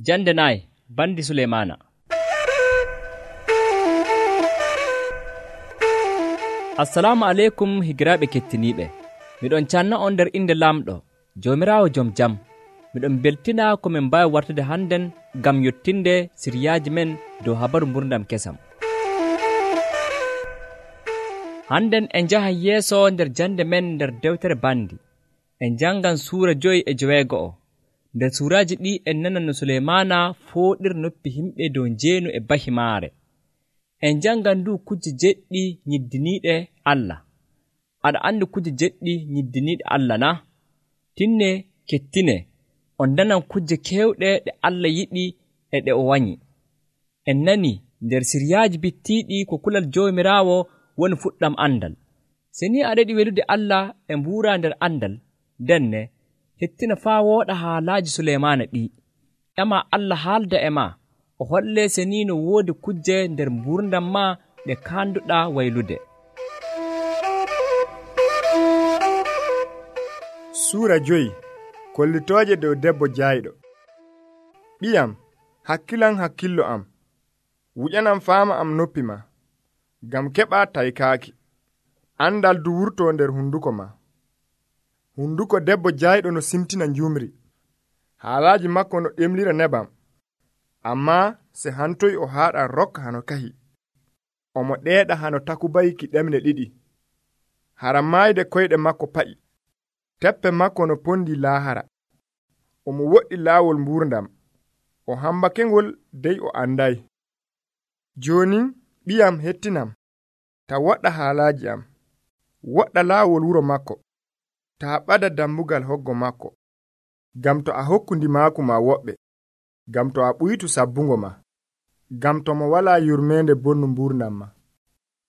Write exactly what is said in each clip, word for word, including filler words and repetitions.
Jande nayi bandi Suleymana. Assalamu aleykum higiraaɓe kettiniiɓe. Miɗon canna on nder inde Laamɗo, Joomiraawo jom jam. Miɗon beltina ko min mbaawi wartude hannden ngam yottinde siriyaaji men dow habaru mburdam kesam. Hannden en njahan yeeso nder jande men nder dewtere bandi. En jangan suura joyi e joweego'o. Nder suuraaji ɗi en nanan no Suleymana fooɗir noppi himɓe dow njeenu e bahimaare. En jangan du kujje jeɗɗi nyiddiniiɗe Allah. Aɗa andi kujje jeɗɗi nyiddiniiɗe Allah na? Tinne kettine on nanan kujje kewɗe ɗe Allah yiɗi e ɗe o wanyi. En nani nder siriyaaji bittiiɗi ko kulal Joomiraawo woni fuɗɗam andal. Se ni aɗa yiɗi welude Allah e mbuura nder andal, denne hettina faa wooɗa haalaaji Suleymana ɗi. Ema Allah haalda e ma, o holle se ni no woodi kujje nder mburdam ma ɗe kaanduɗaa waylude. Suura joyi kollitooje dow debbo jayɗo. Ɓiyam, hakkilan hakkillo am, wuƴanam faama am noppi ma, ngam keɓa taykaaki. Andal du wurtoo nder hunduko ma. Hunduko debbo jayɗo no simtina njumri, haalaaji makko no ɗemlira nebam. Ammaa se hantoy o haaɗa rokka hano kahi, omo ɗeeɗa hano takubayki ɗemle ɗiɗi. Hara maayde koyɗe makko pa'i, teppe makko no pondi laahara. Omo woɗɗi laawol mburdam, o hambakengol dey o anday. Jooni ɓiyam hettinam, ta woɗɗa haalaaji am, woɗɗa laawol wuro makko, ta ɓada dammugal hoggo makko, gam to a hokkundi maaku ma woɓɓe, gam to a ɓuytu sabbungo ma, gam to mo walaa yurmeende bonnu mburdam ma,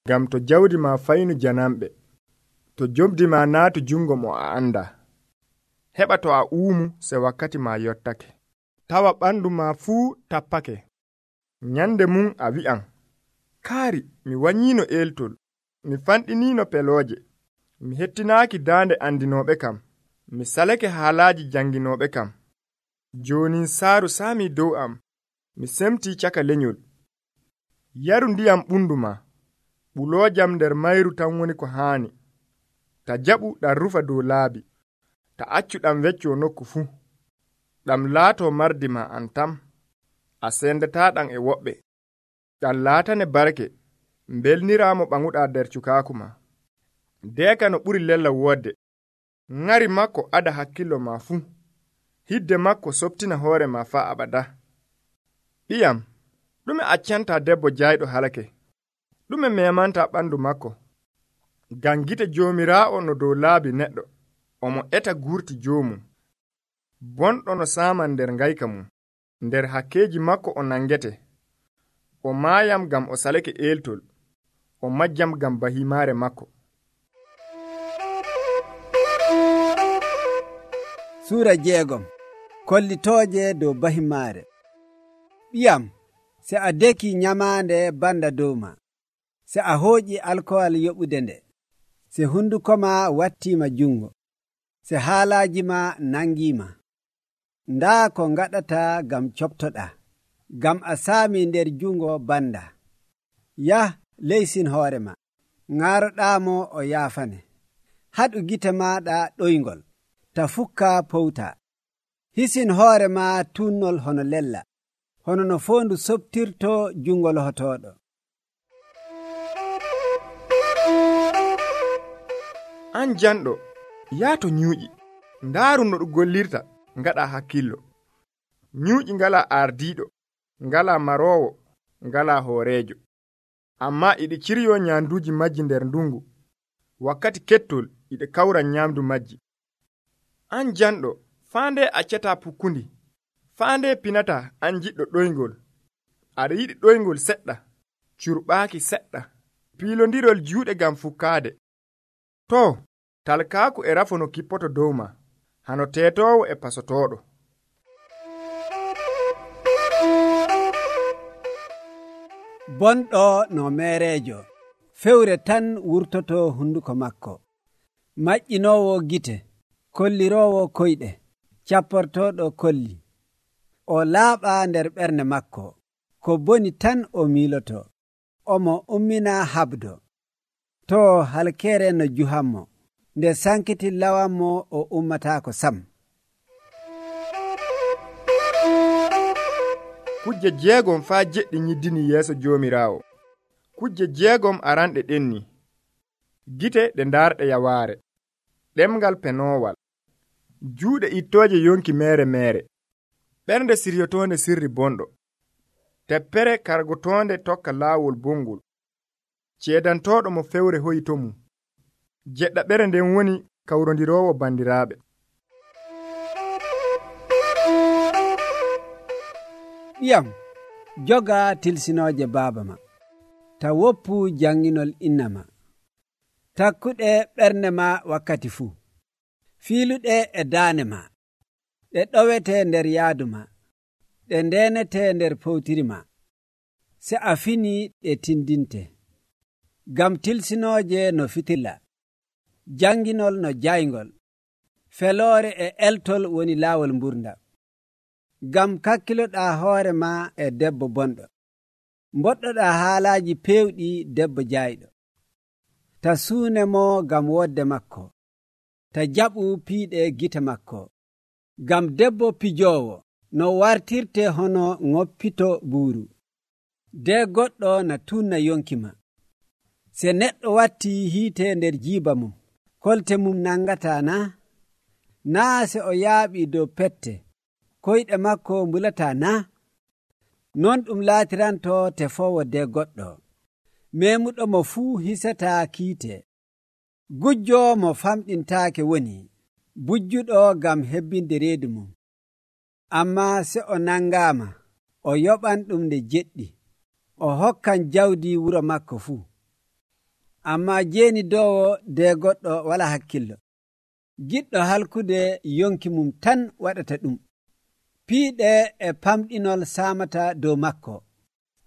gam to jawdi ma faynu janamɓe, to jobdi ma naatu jungo mo a anda. Heɓa to a uumu se wakkati ma yottake, tawa ɓandu ma fuu tappake. Nyande mum a wi'an, kaari mi wanyino eltol, mi fanɗinino pelooje, mi hettinaaki daande andinooɓe kam, mi salake haalaaji janginooɓe kam. Joonin saaru saami dow am, mi semtii caka lenyol. Yaru ndiyam ɓunduma, ɓuloojam nder mayru tan woni ko haani. Ta jaɓu ɗam rufa dow laabi, ta accu ɗam weccoo nokku fuu. Ɗam laatoo mardi ma an tam, a sendataa ɗam e woɓɓe. Ɗam laatane barke, mbelniraamo ɓaŋuɗaa nder cukaaku ma. Deeka no ɓuri lella woodde, ŋari makko ada hakkillo ma fuu, hidde makko soptina hoore ma faa abada. Ɓiyam, ɗume accanta debbo jayɗo halake, ɗume memanta ɓandu makko? Ngam gite Joomiraawo no dow laabi neɗɗo, omo eta gurti joomum. Bonɗo no saaman nder ngayka mum, nder hakkeeji makko o nangete. O maayam gam o salake eltol, o majjam gam bahimaare makko. Suura jeegom kollitooje dow bahimaare. Ɓiyam, se a deki nyamaande banda dow ma, se a hooƴi alkowal yoɓude nde, se hunduko ma wattiima jungo, se haalaaji ma nangiima. Ndaa ko ngaɗata gam coptoɗaa, gam a saami nder jungo banda. Yah leysin hoore ma, ŋaaroɗaamo o yaafane. Haɗu gite maaɗa ɗoyngol, ta fukka powta. Hisin hoore ma tunnol hono lella, hono no foondu soptirto jungol hotooɗo. An janɗo, yaato nyuuƴi, ndaaru no ɗum gollirta, ngaɗa hakkillo. Nyuuƴi ngala ardiiɗo, ngala maroowo, ngala hooreejo. Amma iɗi ciryo nyaanduuji majji nder ndungu, wakkati kettol iɗi kawra nyaamdu majji. An janɗo, faande accata pukkundi, faande pinata an jiɗɗo ɗoyngol. Aɗa yiɗi ɗoyngol seɗɗa, curɓaaki seɗɗa, piilondirol juuɗe gam fukkaade. To, talkaaku e rafo no kippoto dow ma, hano teetoowo e pasotooɗo. Bonɗo no meereejo, fewre tan wurtoto hunduko makko. Maƴƴinoowo gite, kolliroowo koyɗe, capportooɗo kolli. o laaɓa nder ɓernde makko, ko boni tan o miiloto, omo ummina habdo. To halkeere no juhanmo, nde sankiti lawanmo o ummataako sam. Kujje jeegom faa jeɗɗi nyiddini yeeso Joomiraawo. Kujje jeegom aranɗe ɗenni: gite ɗe ndaarɗe yawaare, ɗemngal penoowal, juuɗe ittooje yonki meere meere, ɓernde siryotoonde sirri bonɗo, teppere kargotoonde tokka laawol bongol, ceedantooɗo mo fewre hoyto mum. Jeɗɗaɓere nden woni kawrondiroowo bandiraaɓe. Ɓiyam, joga tilsinooje baaba ma, ta woppu janginol inna ma. Takkuɗe ɓernde ma wakkati fuu. Fiiluɗe e daane ma, ɗe ɗowete nder yaadu ma, ɗe ndenete nder powtiri ma. Se a fini ɗe tindinte. Gam tilsinooje no fitilla, janginol no jayngol, feloore e eltol woni laawol mburdam. Gam kakkiloɗaa hoore ma e debbo bonɗo, mboɗɗoɗaa haalaaji peewɗi debbo jayɗo. Ta suune mo gam wodde makko, ta jaɓu piiɗe gite makko. Gam debbo pijoowo no wartirte hono ŋoppito buuru. De goɗɗo na tunna yonki ma. Se neɗɗo watti hiite nder jiiba mum, kolte mum nangata na? Naa se o yaaɓi dow pette, koyɗe makko mbulata na? Non ɗum laatiranto tefoowo de goɗɗo. Memuɗo mo fuu hisata kiite. Gujjo mo famɗintaake woni, bujjuɗo gam hebbinde reedu mum. Amma se o nangaama, o yoɓan ɗum nde jeɗɗi, o hokkan jawdi wuro makko fuu. Amma jeeni dowo de goɗɗo wala hakkillo. Giɗɗo halkude yonki mum tan waɗata ɗum. Piiɗe e pamɗinol saamata dow makko.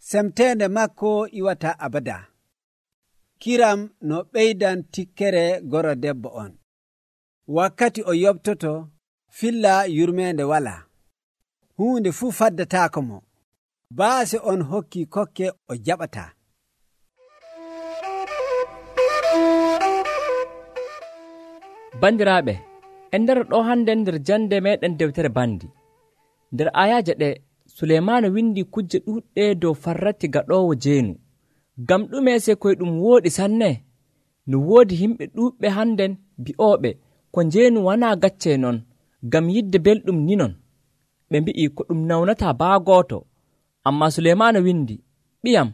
Semteende makko iwata abada. Kiram no ɓeydan tikkere goro debbo on. Wakkati o yobtoto, filla yurmeende wala. Huunde fuu faddataako mo. Baase on hokki kokke o jaɓata. Bandiraaɓe, en ndara ɗo hande nder jande meɗen dewtere bandi. Nder ayaje ɗe, Suleymaana windi kujje ɗuɗɗe dow farrati gaɗowo jeenu. Gam ɗume se koye ɗum wooɗi sanne? No woodi himɓe ɗuɓɓe handen bi'ooɓe ko jeenu wana gacce non, gam yidde belɗum ni non. Ɓe mbi'i ko ɗum nawnata baa gooto. Amma Suleymaana windi, ɓiyam,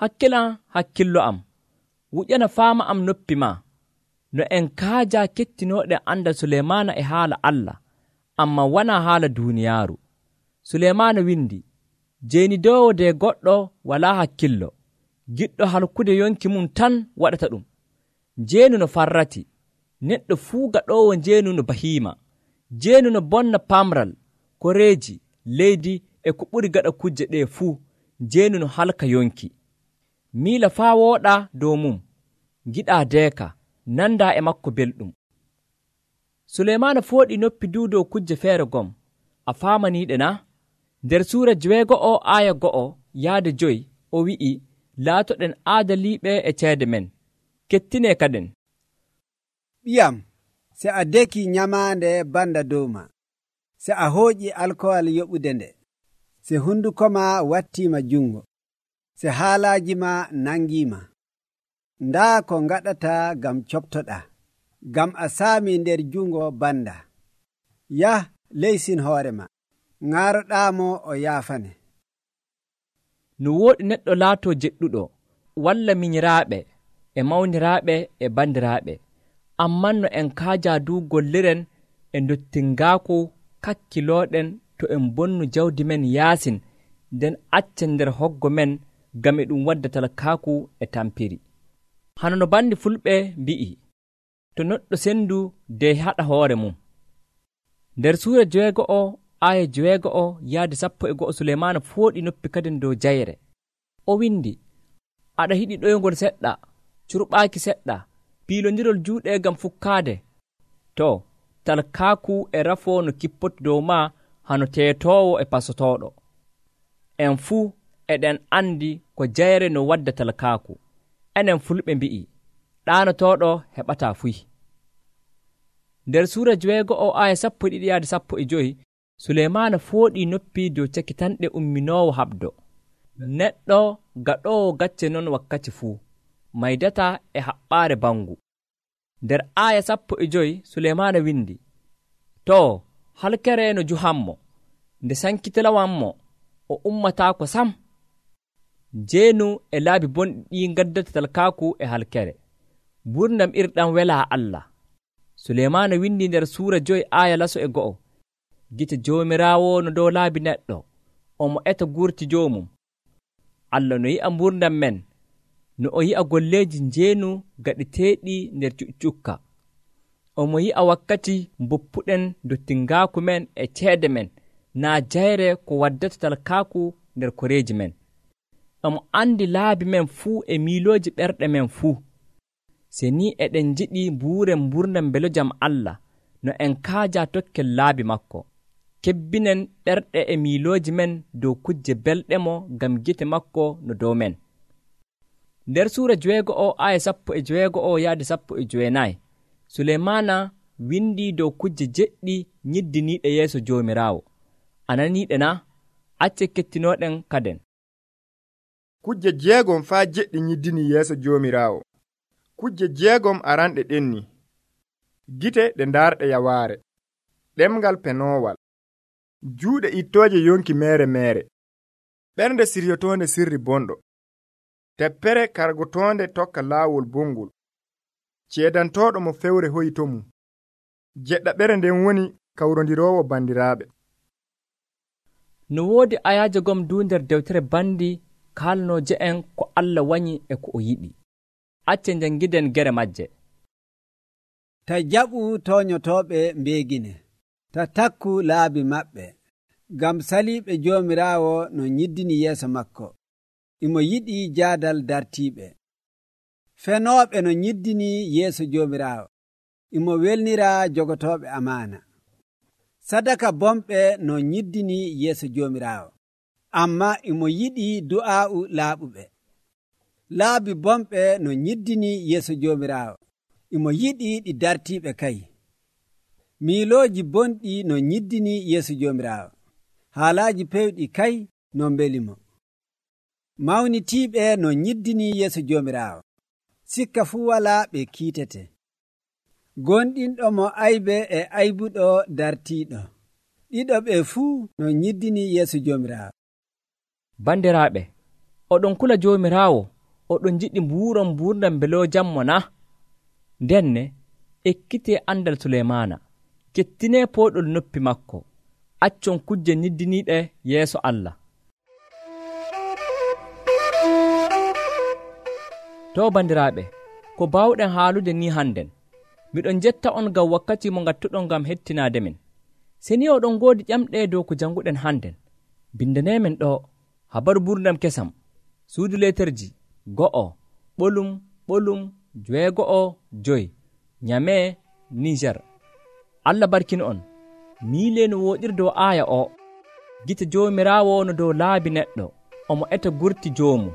hakkilan hakkillo am, wuƴana faama am noppi ma. No en kaaja kettinoɗen anda Suleymaana e haala Allah, amma wana haala duuniyaaru. Suleymaana windi, jeenidowo de goɗɗo wala hakkillo, giɗɗo halkude yonki mum tan waɗata ɗum. Jeenu no farrati, neɗɗo fuu gaɗowo jeenu no bahiima. Jeenu no bonna pamral, koreeji, leydi e ko ɓuri gaɗa kujje ɗe fuu. Jeenu no halka yonki. Miila faa wooɗa dow mum, giɗa deeka, nanda e makko belɗum. Suleymaana fooɗi noppi du dow kujje feere gom. A faamaniiɗe na? Nder suura joweego'o aya go'o yaade joyi o wi'i, laatoɗen aadaliiɓe e ceede men, kettine kaden. Ɓiyam, se a deki nyamaande banda dow ma, se a hooƴi alkowal yoɓude nde, se hunduko ma wattiima jungo, se haalaaji ma nangiima. Ndaa ko ngaɗata gam coptoɗa, gam a saami nder jungo banda. Yah, leysin hoore ma, ŋaaroɗaamo o yaafane. No wooɗi neɗɗo laato jeɗɗuɗo, walla minyiraaɓe e mawniraaɓe e bandiraaɓe, amman no en kaaja du golliren e dottingaaku kakkilooɗen to en bonnu jawdi men yaasin, nden accen nder hoggo men gam e ɗum wadda talkaaku e tampiri. Hano no bandi fulɓe mbi'i, to neɗɗo sendu de haɗa hoore mum. Nder suura joweego'o aya joweego'o yaade sappo e go'o Suleymaana fooɗi noppi kadin dow jayre. O windi, aɗa hiɗi ɗoygol seɗɗa, curɓaaki seɗɗa, piilondirol juuɗe gam fukkaade. To, talkaaku e rafo no kippoto dow ma hano teetoowo e pasotooɗo. En fuu eɗen andi ko jayre no wadda talkaaku. Enen fulɓe mbi'i ɗaanotooɗo heɓataa fuy. Nder suura joweego'o aya sappo e ɗiɗi yaade sappo e joyi, Suleymaana fooɗii noppi dow cakitanɗe umminoowo haɓdo. Neɗɗo gaɗoowo gacce non wakkati fuu maydataa e haɓɓaare bangu. Nder aya sappo e joyi Suleymaana windi, too halkere no juhanmo, nde sankitilawanmo o ummataako sam. Jeenu e laabi bonɗi ɗi gaddata talkaaku e halkere. Gurdam irɗam welaa Allah. Suleymaana windi nder suura joyi aya laso e go'o, gite joomiraawo no dow laabi neɗɗo, omo eta gurti joomum. Allah no yi'a gurdam men, no o yi'a golleeji njeenu gaɗiteeɗi nder cuccukka. Omo yi'a wakkati mboppuɗen dottingaaku men e ceede men, naa jayre ko waddata talkaaku nder koreeji men. Omo andi laabi men fuu e miilooji ɓerɗe men fuu. Se ni eɗen jiɗi mbuuren mburdam mbelojam Allah, no en kaaja tokkel laabi makko. Kebbinen ɗerɗe e miilooji men dow kujje belɗe mo ngam gite makko no dow men. Nder suura joweego'o aya sappo e joweego'o yaade sappo e joweenayi, Suleymaana windi dow kujje jeɗɗi nyiddiniiɗe yeeso Joomiraawo. Ananiiɗe na? Acce kettinooɗen kaden. Kujje jeegom faa jeɗɗi nyiddini yeeso Joomiraawo. Kujje jeegom aranɗe ɗenni: gite ɗe ndaarɗe yawaare, ɗemngal penoowal, juuɗe ittooje yonki meere meere, ɓernde siryotoonde sirri bonɗo, teppere kargotoonde tokka laawol bongol, ceedantooɗo mo fewre hoyi to mum. Jeɗɗaɓere nden woni kawrondiroowo bandiraaɓe. No woodi ayaaje gom du nder dewtere bandi kaalnooje en ko Allah wañi e ko o yiɗi. Acce njangiden gere majje. Ta jaɓu toonyotooɓe mbeegine, ta takku laabi maɓɓe, ngam saliiɓe Joomiraawo no nyiddini yeeso makko. Imo yiɗi jaadal dartiiɓe. Fenooɓe no nyiddini yeeso Joomiraawo. Imo welnira jogotooɓe amaana. Sadaka bomɓe no nyiddini yeeso Joomiraawo, amma imo yiɗi du'aa'u laaɓuɓe. Laabi bomɓe no nyiddini yeeso Joomiraawo, imo yiɗi ɗi dartiiɓe kay. Miilooji bonɗi no nyiddini yeeso Joomiraawo, haalaaji pewɗi kay no mbelimo. Mawnitiiɓe no nyiddini yeeso Joomiraawo, sikka fuu walaa ɓe kiitete. Gonɗinɗo mo aybe e aybuɗo dartiiɗo, ɗiɗo ɓe fuu no nyiddini yeeso Joomiraawo. Bandiraaɓe, oɗon kula Joomiraawo, oɗon jiɗi mbuuron mburdam mbelojammo na? Ndenne ekkitee andal Suleymaana, kettinee pooɗol noppi makko, accon kujje niddiniiɗe yeeso Allah. To bandiraaɓe, ko baawɗen haalude ni hannden, miɗon jetta on ngam wakkati mo ngattuɗon ngam hettinaade men. Se ni oɗon ngoodi ƴamɗe dow ko janguɗen hannden, bindaneemen ɗo habaru mburdam kesam, suudu leeterji go'o ɓolum ɓolum joweego'o joyi, Nyame, Niger. Allah barkino on. Miile no wooɗiri dow aaya o. Gite Joomiraawo no dow laabi neɗɗo, omo eta gurti joomu.